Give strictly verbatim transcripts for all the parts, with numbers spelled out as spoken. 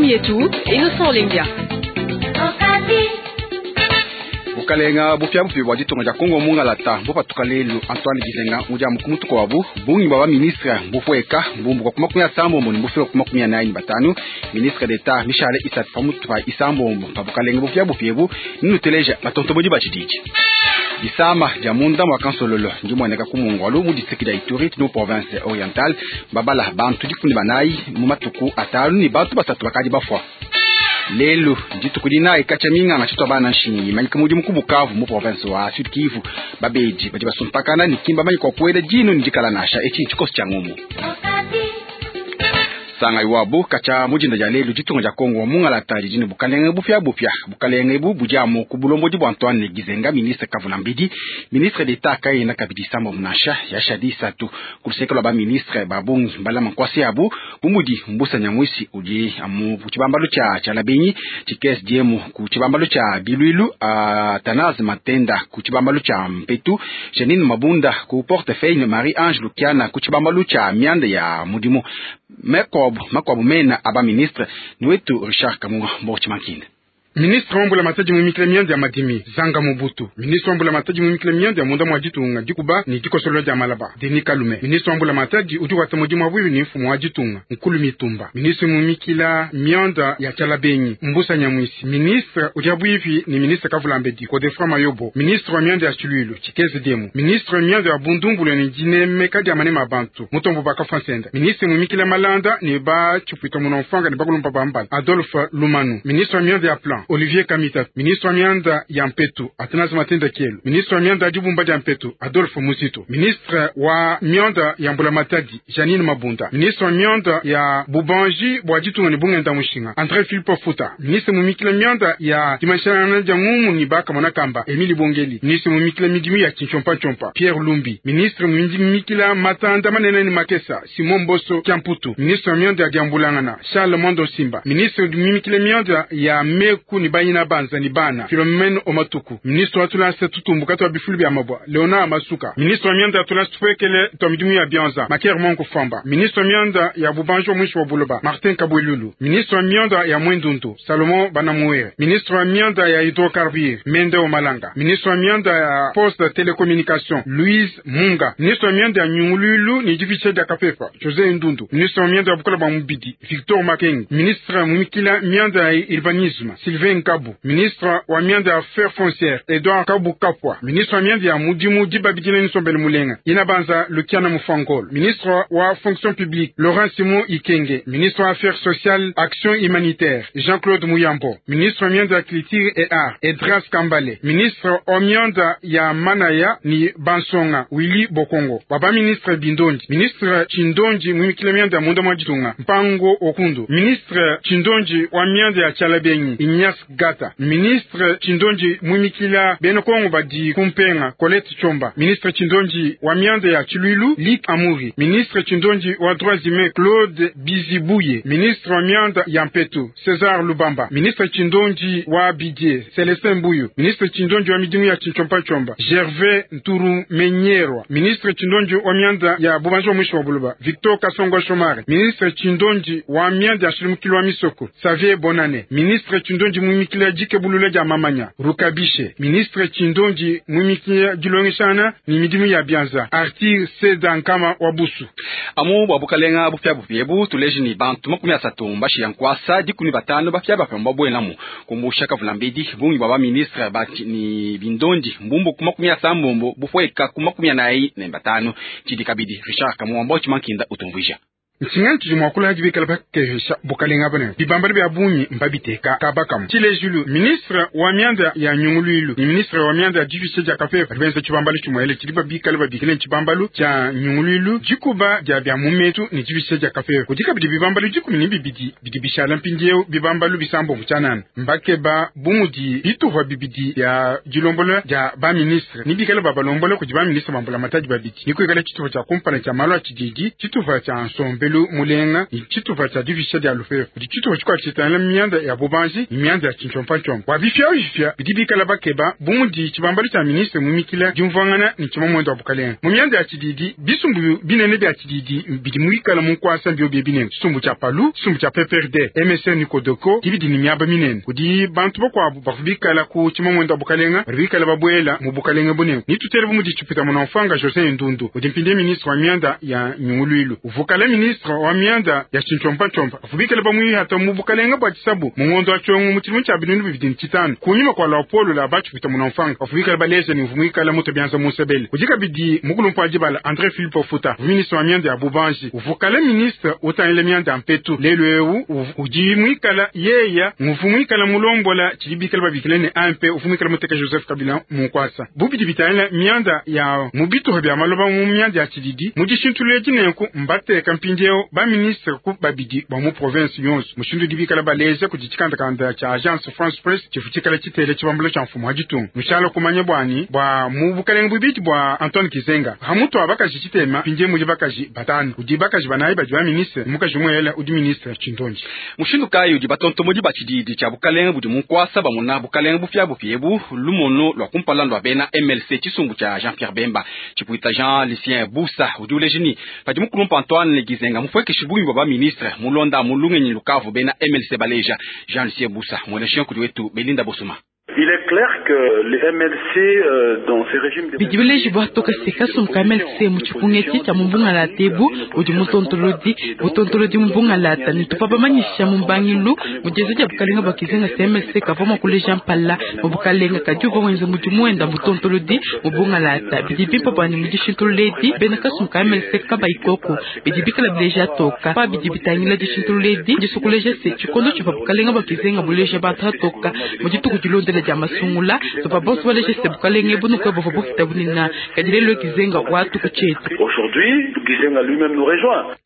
Mathieu Mietou, Innocent Olenga. Bukalenga bupiabupia bua ditunga dia Kongo mungalata bupatuka lelu Antoine Gizenga udi amu ku mutu wabu bungi bwa ba ministre bupueka mbumbuka ku makumi asambombo ne bufika ku makumi anayi ne batanu. Ministre d'Etat mishale isatu pamutu pa isambombo pa bukalenga bupiabupia ebu ninuteleja batontobodi ba tshididi. Disama dia munda mwa kansololo ndimueneka ku mungwalu mu district dia Ituri mu province orientale babala bantu dikumi banayi mu matuku atanu ne bantu basatu bakadi bafua. Lelu dituku dinayi katshia minganga tshitwa bana nshinyi imanyika mudimu ku Bukavu mu province wa Sud Kivu. Babedi badi basumpakana ne kimba manyi kwa kuela dino ne dikala nasha etshi tshikoso tshia ngumu. Sanga iwabu katshia mujinda dia lelu ditunga dia Kongo wa mungalata didi ne bukalenge bupia bupia. Bukalenge ebu budi amu ku bulombodi bua Antoine Gizenga ministre kavula mbedi ministre d'Etat kayena kabidi sambo munasha yashadi isatu ku luseke lua ba ministre ba bungi mbalama nkwasi yabu bu mudi Mbusa Nyamwisi udi amu ku tshibambalu tshia tshia Labenyi Tshikes Diemu ku tshibambalu tshia Bilwilu Athanase Matenda ku tshibambalu tshia Mpetu Janine Mabunda ku portefeuille Marie Ange Lukiana ku tshibambalu tshia mianda ya mudimu. Makuabu makuabu mena aba ministre ni wetu Richard Kamunga Mbochi Mankinde. Ministre wa mbula matadi mumikile mianda ya madimi Zanga Mobutu. Ministre wa mbula matadi mumikile mianda ya munda mwa ditunga dikuba ni dikosolo dia malaba Denis Kalume. Ministre wa mbula matadi udi wata mudimu wa bwibi ni mfumu wa ditunga Nkulu Mitumba. Ministre mumikila mianda ya Tshalabenyi Mbusa Nyamwisi. Ministre udi bwibi ni ministre Kavulambedi Godefroid Mayobo. Ministre wa mianda ya Tshilwilu Tshikeze Demu. Ministre wa mianda ya Bundumbulu ni dinemeka dia manema bantu Mutombo Baka Fansenda. Ministre mumikila malanda ni ba Tshipwita Munonfanga ni bakulumpa bambala Adolphe Lumanu. Ministre wa mianda ya plan Olivier Kamita. Ministre wa mianda ya Mpetu Athanase Matenda Kielu. Ministre wa mianda ya dibumba dia Mpetu Adolphe Muzito. Ministre wa mianda ya mbula matadi Janine Mabunda. Ministre wa mianda ya bubanji bwa ditunga ni bungenda mushinga André Philippe Futa. Ministre mumikila mianda ya dimashana dia ngumu ni baka mwana kamba Emile Bongeli. Ministre mumikila midimu ya Kinchompa Chompa Pierre Lumbi. Ministre mumikila matanda manene ni makesa Simon Mboso Kiamputu. Ministre wa mianda ya diambulangana Charles Mondo Simba. Ministre mumikila mianda ya meku ni bayina banza ni bana Philomene Omatuku. Ministre wa tulasa tutumbuka twa bifulu bya mabwa Leonard Masuka. Ministre wa mianda ya tulasa tupwekele twa midimu ya bianza Makier Monko Famba. Ministre wa mianda ya bubanjo mwisho wa buloba Martin Kabwelulu. Ministre wa mianda ya Mwendundu Salomon Banamuere. Ministre wa mianda ya hydrocarbures Mende Omalanga. Ministre wa mianda ya poste télécommunication Louise Munga. Ministre wa mianda ya nyungululu ni diviche dia kapepa José Ndundu. Ministre wa mianda ya bukola bwa mubidi Victor Makengi. Ministre mumikila mianda ya urbanisme Sylvain Kabu. Ministre wa mianda ya affaires foncières Edouard Kabu Kapwa. Ministre wa mianda ya mudimu dibabidile nsombele mulenga Inabanza Lukiana Mufangol. Ministre wa fonction publique Laurent Simon Ikenge. Ministre wa affaires sociales action humanitaire Jean-Claude Muyambo. Ministre wa mianda ya culture et art Edras Kambale. Ministre wa mianda ya manaya ni Bansonga Willy Bokongo. Baba ministre Bindonji. Ministre Chindonji mumikile mianda ya munda mwa ditunga Mpango Okundu. Ministre Chindonji wa mianda ya Tshalabenyi Ignace Gata. Ministre Chindonji mumikila beno Kongo badi kumpenga Colette Chomba. Ministre Chindonji wa mianda ya Tshilwilu Lik Amuri. Ministre Chindonji wa droits humains Claude Bizibuye. Ministre wa mianda ya Mpetu César Lubamba. Ministre Chindonji wa Bidie Celestin Mbuyu. Ministre Chindonji wa midimu ya Chinchompa Chomba Gervais Nturu Menyerwa. Ministre Chindonji wa mianda ya bubanji wa mwisho wa buloba Victor Kasongo Shomari. Ministre Chindonji wa mianda ya Shilimukilo wa Misoko Xavier Bonane. Ministre Chindonji mumikila jike bulule dia mamanya Rukabishe. Ministre Chindonji mumikila dilongeshana ni midimu ya bianza Arthur Seda Nkama wa Busu. Amu bwa bukalenga bupia bupia ebu tuleji ni bantu makumi asatu mbashi ya nkwasa dikumi batano bapia bapia mbabwelamu kumbusha kavula mbedi bungi bwa ba ministre bati ni bindondi mbumbu ku makumi asambombo bupweka ku makumi anayi ne batano tshidi kabidi Richard Kamuwamba Chimankinda utumvuija. Ntshinga tshidi mua kula dibikala bakehesha bukalenga bune bibambala bya bungi mbabiteka kabakamu tshilejulu. Ministre wa mianda ya nyunguluilu ni ministre wa mianda ya divishe dia kapepa benza tshibambalu tshimwele tshidi babikala babikile tshibambalu tshia nyunguluilu dikuba dia bya mumetu ni divishe dia kapepa kudi kabidi bibambalu dikumi ni bibidi bidi bishala mpindieu bibambalu bisambo mutshanana mbakeba bumudi bituhwa bibidi ya dilombola dia ba ministre ni bikala babalombola kudi ba ministre bambula matadi babidi ni kuikala tshitupa tshia kumpala tshia malu a tshididi tshitupa tshia nsombe nsombelu mulenga ni tshitupa tshia divisha dia lufefu kudi tshitupa tshikuabu tshitangila mianda ya bubanji ni mianda ya tshintshompantshompa bua bifia bifia bidi bikala bakeba bu mudi tshibambalu tshia ministre mumikila diumvuangana ni tshimamwendo wa bukalenga mu mianda ya tshididi bisumbu binene bia tshididi bidi muikala mu nkuasa mbio binene tshisumbu tshia palu tshisumbu tshia P P R D M S N Kodoko dibidi ni miaba minene kudi bantu bakuabu bavua bikala ku tshimamwendo wa bukalenga badi bikala babuela mu bukalenga bunene ni tutele bu mudi tshipita muna mfanga José Ndundu udi mpindie ministre wa mianda ya nyunguluilu uvukala ministre wa mianda ya tshintshompantshompa bavua bikala bamuihata mu bukalenga bua tshisabu mu ngondo wa tshiongo mu tshidimu tshia binunu bibidi ne tshitanu kunyima kua lapolo la batshipita muna mfanga bavua bikala baleja ni mvu muikala muto bianza musebele udi kabidi mukulumpa wa dibala André Philippe Ofuta ministre wa mianda ya bubanji uvukala ministre utangile mianda ya mpetu lelu ewu udi muikala yeya mvu muikala mulombola tshidi bikala babikile ne A M P uvu muikala muteka Joseph Kabila munkwasa bubidi bitangila mianda ya mubituha bya maloba mu mianda ya tshididi mu dishintulule dinenku mbateka mpindieu ba ministre ku babidi ba mu province yonso mushindu udi bikala baleja kudi tshikandakanda tshia Agence France Presse tshifu tshikala tshitele tshibambulo tshia mfumu wa ditunga mushala kumanya bwani bwa mu bukalenga bubidi bwa Antoine Gizenga hamutu wa bakaji tshitema mpindie mudi bakaji batanu udi bakaji banayi badi ba ministre mukaji muela udi ministre tshindonji mushindu kayi udi batontomodi ba tshididi tshia bukalenga budi munkwasa bamona bukalenga bupia bupiebu lumono lwa kumpala lwa bena M L C tshisumbu tshia Jean-Pierre Bemba tshipuita Jean Lucien Busa udi ulejini padi mukulumpa Antoine Gizenga mufwekeshe bungi bwa ba ministre mulonda mulungenyi lukavu bena M L C baleja Jean Lucien Busa mwene kudi wetu Belinda Bosuma. Il est clair que les M L C euh, dans ces régimes bidibileji bwatoka seka sumka M L C mu tshipungeti tshia mumbunga la tebu udi mutontolodi mutontolodi mumbunga la ta ni tupa bamanyisha mumbangilu mujeze dia bukalenga bwa Gizenga se M L C kava makuleja mpala mu bukalenga kadi uvua wenza mudimu wenda mutontolodi mubunga la ta bidi bimpa bwani mudishintululedi bena kasumka M L C kabayikoko bidi bikala bileja toka pa bidi bitangila dishintululedi disukuleja se tshikondo tshivua bukalenga bwa Gizenga buleja bantu atoka mu dituku dilondela dia masungula tupa bonso baleja se bukalenga bunuka buvua bufita bunina kadi lelo Gizenga watu ku tshietu. Aujourd'hui, Gizenga lui-même nous rejoint.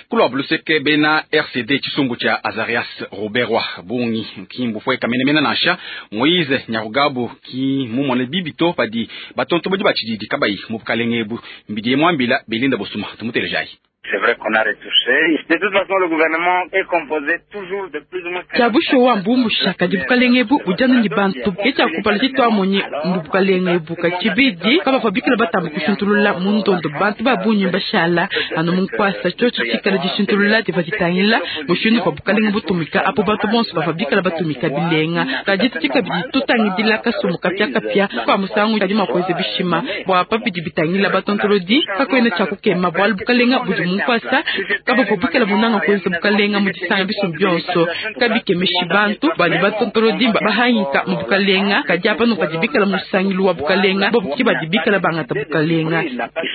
Kulwa buluseke bena R C D tshisumbu tshia Azarias Ruberwa bungi kimbu fwe kamenemena nasha Moise Nyarugabu ki mumone bibito padi batonto badi batshididi kabayi mu bukalenga ebu mbidi mwambila Belinda Bosuma tumutelejayi. C'est vrai qu'on a retouché. De toute façon, le gouvernement est composé toujours de plus ou moins... Tchabusho wa mbumbu shaka di bukalengebu ujana ni bantu. Kecha kupala chitwa monye mbu bukalengebu kachibidi kaba fabikila batambu kushintulula mundondo bantu babunyi bashala anu munkwasa chocho chikala dishintulula divatitangila mushindu kwa bukalengebu tumika apo bantu bonso bafabikila batumika bilenga. Kajiti chikabidi tutangidila kasumu kapya kapya kwa musangu kadi makweze bishima bwa papidi bitangila batontolodi kakwena chakukema bwa bukalenga budi munkwasa kaba fabikila munanga kwenza bukalenga mudisanga bisumbi byonso kabikemeshi bantu bali batontolodi bahanyika mu bukalenga kadi apa no badibikala musangilu wa bukalenga bobuki badibikala bangata bukalenga.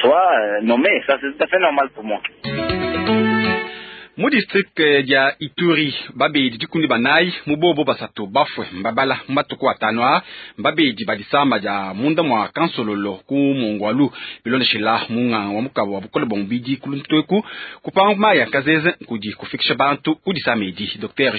Soit nommé, ça c'est tout à fait normal pour moi. Mu district ya Ituri babedi dikundi banayi mubobo basatu bafwe mbabala mbatuku atano a mbabedi badisamba ja munda mwa kansololo ku mongwalu bilondeshela munga wa mukabo wa bukole bombidi kuluntweku kupanga maya kazeze kudi kufikisha bantu kudisamedi Docteur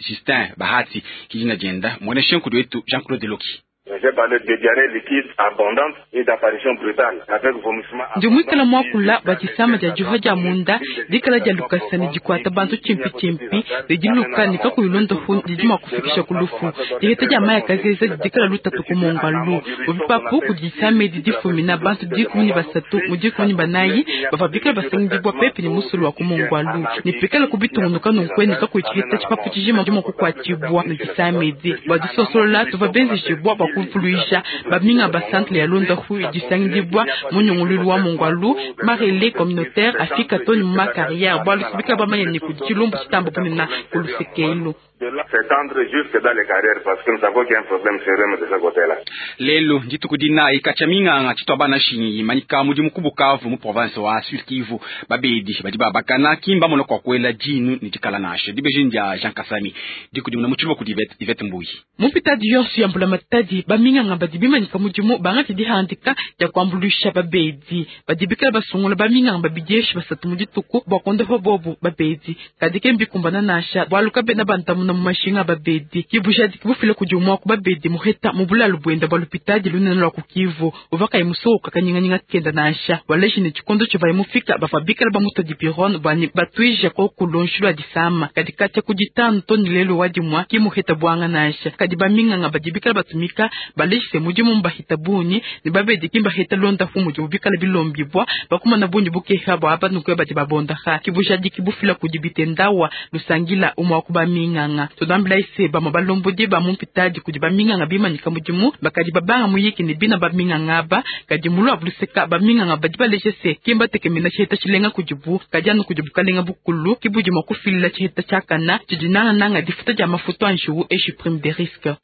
Justin Bahati kijina jenda mwene shenkudi wetu Jean-Claude Loki. J'ai parlé de diarrhée liquide abondante et d'apparition brutale avec vomissement. Ndi mwikala mwakula bachisama dia juha dia munda dikala dia lukasa ni dikwata bantu chimpi chimpi lidiluka ni kakuyilonda hu didima kufikisha kulufu diheta dia maya kazeza dikala lutatu kumongalu ubipapu kudisame didifumina bantu dikumi ni basatu mudikumi ni banayi bafabikala basangidibwa pepe ni musulu wa kumongwalu nipikala kubitungunuka nunkweni kakuyichiheta chipapu chijima dima kukwatibwa nidisamedi badisosolola tuva benzishibwa kufuluisha baminga ba centre ya Lunda hu disangidibwa munyungululu wa mongwalu marele communautaire afika toni ma carrière bwa lusibika bamanya ni kudilumbu chitambo punina kulusekelo s'étendre jusque dans les carrières parce que nous savons qu'il y a un problème sérieux de ce côté-là. Lelo nditukudina ikacha minganga chitwa bana shinyi manika mudi mukubukavu mu province wa Sud Kivu babedi badi babakana kimba mono kwa kwela jinu ni dikala nashe dibejinja Jean Kasami dikudimuna muchulwa ku Yvette Mbuyi mupita diyonsu ya mbula matadi baminganga badi bimanyika mudimu bangati dihandika dia kuambulisha babedi badibikala basungula baminganga babidieshi basatu mudituku bwa kondofa bobu babedi kadike mbikumbana nasha bwaluka bena bantamu kuandamuna mu mashinga babedi kibujadi kibufile kudi umwa ku babedi muheta mu bulalu bwenda bwa lupitadi lunene lwa ku Kivu uvaka imusoka kanyinganyinga kenda nansha waleji ne tshikondo tshiva imufika bava bikala bamuta dipirone bwani batwija ko kulonshi lwa disama kadi katya kuditanu toni lelo wadimwa kimuheta bwanga nansha kadi baminganga badi bikala batumika balejise mudimu mbahita bunyi ne babedi kimbaheta londa fu mudimu bikala bilombibwa bakumana bunyi bukeha bwa abanukwe badi babondaha kibujadi kibufila kudi bitendawa lusangila umwa kuba minganga tudambila ise ba mabalombodi ba mumpitadi kudi baminganga bimanyika mudimu bakadi babanga muyiki ne bina baminganga ba kadi mulu abuluseka baminganga badi balejese kimba tekemena tshiheta tshilenga kudibu kadi anu kudibu kalenga bukulu kibudi mwa kufilila tshiheta tshiakana tshidi nangananga difuta dia mafutu a njiwu eshi prime de risque.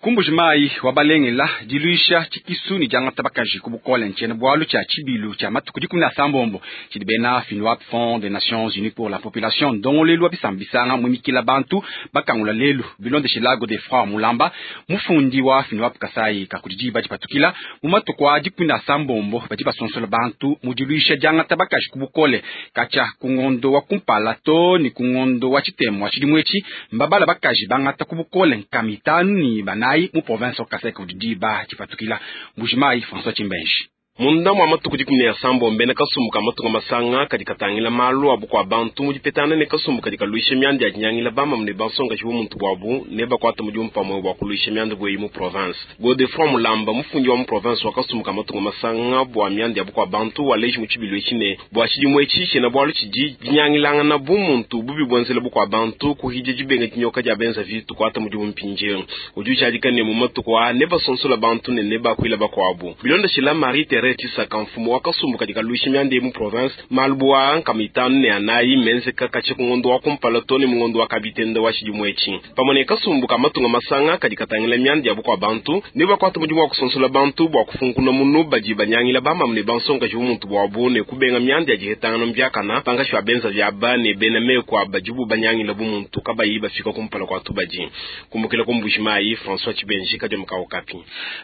Kumbuji mai wabalengela diluisha tshikisu ni diangata bakaji ku bukole ntshiena bualu tshia tshibilu tshia matuku dikumi na sambombo tshidi bena FNUAP Fonds des Nations Unies pour la Population ndongolelu wa bisambisanga mwimikila bantu bakangula lelu bilondeshila Godefroid Mulamba mufundi wa FNUAP Kasai kakudi diba dipatukila mu matuku a dikumi na sambombo badi basonsola bantu mu diluisha diangata bakaji ku bukole katshia ku ngondo wa kumpala to ni ku ngondo wa tshitemo wa tshidimu etshi mbabala bakaji bangata ku bukole nkama itanu ni banayi mu province Kasai diba dipatukila. Mbuji-Mayi François Tshimbenji. Munda mwa matuku dikumi ne asambo mbena kasumbu ka matunga masanga kadi katangila malu abu kwa bantu mu dipetana ne kasumbu kadi kaluisha myanda ya dinyangila bamamu ne bansongaji bu muntu bwabu ne bakwata mudimu pamwe bwa kuluisha myanda bweyi mu province. Godefroid Mulamba mufundi wa mu province wa kasumbu ka matunga masanga bwa myanda ya bukwa bantu waleji mu tshibilu etshi ne bwa tshidimu etshi tshiena bualu tshidi dinyangilangana bu muntu bubi buenzela bukwa bantu kuhidya dibenga dinyoka dia benza vitu kwata mudimu mpindieu udi ujadika ne mu matuku a ne basonsola bantu ne ne bakuila bakwabu bilondeshila Marie Thérèse Tshisaka mfumu wa kasumbu kadi kaluisha myanda mu province malubu a nkama itanu ne anayi menzeka katshia ku ngondo wa kumpala to ne mu ngondo wa kabitenda wa tshidimu etshi pamwe ne kasumbu ka matunga masanga kadi katangila myanda ya bukwa bantu ne bakwata mudimu wa kusonsola bantu bwa kufunkuna munu badi banyangila bamamu ne bansongaji bu muntu bwabu ne kubenga myanda ya dihetangana mbiakana pangashi wa benza vyaba ne bena meko abadibu banyangila bu muntu kabayi bafika kumpala kwa tubadi kumbukila ku Mbuji-Mayi François Tshibenji kadi mukao kapi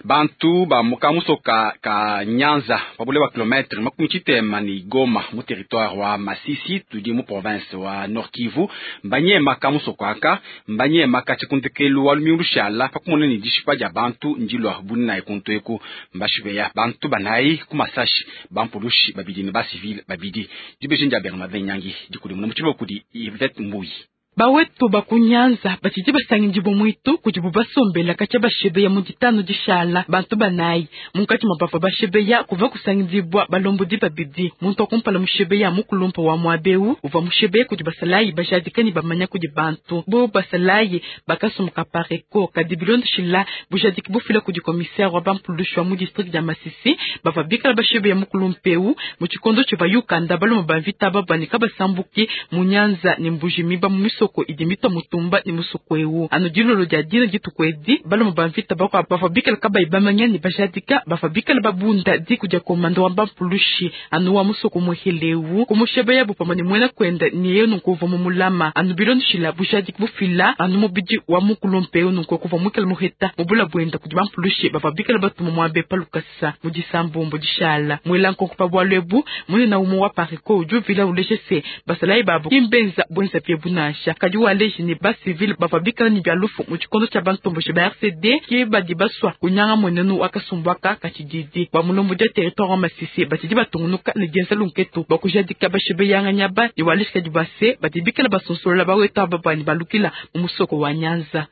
bantu ba mukamuso ka, ka Nyanza pabule wa kilometre makumi tshitema ni Goma mu territoire wa Masisi tudi mu province wa Nord Kivu mbanyema kamusoko aka mbanyema katshikundikelu wa lumingu lushala pakumona ni dishipa dia bantu ndilwa bunina ekuntu eku mbashibeya bantu banayi ku masashi bampulushi babidi ne ba civil babidi dibeji ndia Bernardin Nyangi dikudi muna mutshibo kudi Yvette Mbuyi. Bawetu bakunyanza batshidi basangindi mwitu kudi bubasombela katshia bashebeya mu ditanu dishala bantu banayi munkatshi mwa bavua bashebeya kuva kusangindibwa balombodi babidi muntu wa kumpala mushebeya mukulumpa wa mwabeu uvua mushebeya kudi basalayi bajadika ni bamanya kudi bantu bo basalayi bakasumuka pareko kadi bilondeshila bujadiki bufila kudi commissaire wa bampulushi wa mu district dia Masisi bavua bikala bashebeya mukulumpeu mu tshikondo tshivua yukanda baloma bamvita babanika basambuki mu Nyanza ne Mbujimi ba mu misoko idimita mutumba ni musokwewu anu dilolo dia dina ditukwedi baloma bamvita bakwa bavua kabayi bamanya ni bajadika bavua bikala babunda diku dia komando wa bampulushi anu wa musoko muhelewu kumushebeya bupama ni mwena kwenda niye nunkuva mu mulama anu bilondeshila bujadiki bufila anu mubidi wa mukulumpeu nunku kuva mukela muheta mubula bwenda kudi bampulushi bavua bikala batuma mwabe palukasa mu disambombo dishala mwela nkonko pa bwalu ebu munena umu wa pariko udi uvila uleje se basalayi babo kimbenza bwenza pie bunasha kadi waleji ni ba civil bavua bikala ni bia lufu mu tshikondo tshia bantomboshi ba R C D ke badi baswa kunyanga mwenenu wakasumbwaka katshididi ba mulombo dia territoire wa Masisi batshidi batungunuka ne dienza lunketu bakujadika bashebeyanga nyaba ni waleji kadi base badi bikala basonsolola baweta babani balukila mu musoko wa Nyanza.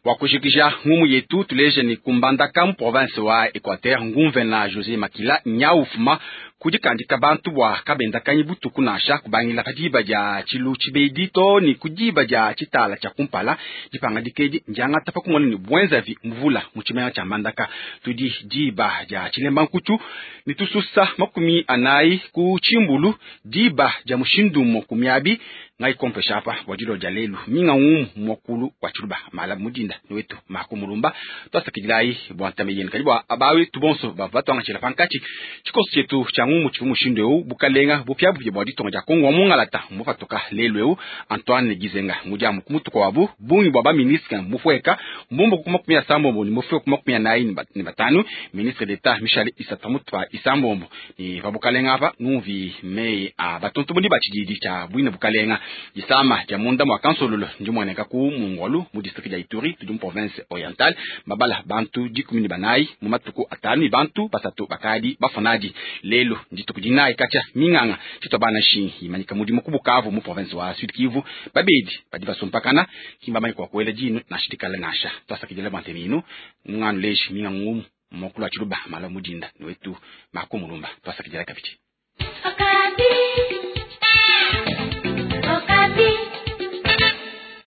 Wakujikija ngumu yetu tuleje ni kumbandaka mu province wa Equateur ngumvena José Makila nyaufuma kudikandika bantu bwa kabenda butuku nasha kubangila kadiba dia tshilu tshibedi to ni kudiba dia tshitala tshia kumpala dipanga dikedi ndianga tapa kumona ni bwenzavi mvula mu tshimenya tshia Mbandaka tudi diba dia tshilemba nkutu ni tususa makumi anayi ku tshimbulu diba dia mushindumo kumiabi ngai kompesha apa bwa dilo dia lelu minga ngumu mwakulu wa tshiluba mala mudinda niwetu makumulumba twasakidilai bwa ntame yenu kadi bwa abawe tubonso bava twangachila pankatshi tshikoso tshietu tshia Bu mu mushindu eu bukalenga bupiabupia bua ditunga dia Kongo wa mungalata mbupatuka lelu eu Antoine Gizenga ngudi ku mutuko wabu bungi bua ba ministre mbupueka mbumbuka ku makumi asambombo ne mbufika ku makumi anayi ne batanu. Ministre d'Etat Michel Isata mutu isambombo ni pa bukalenga apa numvi meyi a batontomodi ba tshididi tshia bwine bukalenga disama dia munda mua kansololo ndi muoneka ku Mongwalu mu district dia Ituri tudi mu province orientale babala bantu dikumi ne banayi mu matuku atanu ne bantu basatu bakadi bafonadi lelo ndituku dinayi katshia minganga tshitwa bana shingi imanyika mudimu ku Bukavu mu province wa Sud Kivu babedi badi basumpakana kimba manyi kwa kuela dinu nansha dikala nansha twasakidila bante minu nganu leji minga ngumu mokulu wa tshiluba mala mudinda niwetu makumulumba twasakidila kabidi.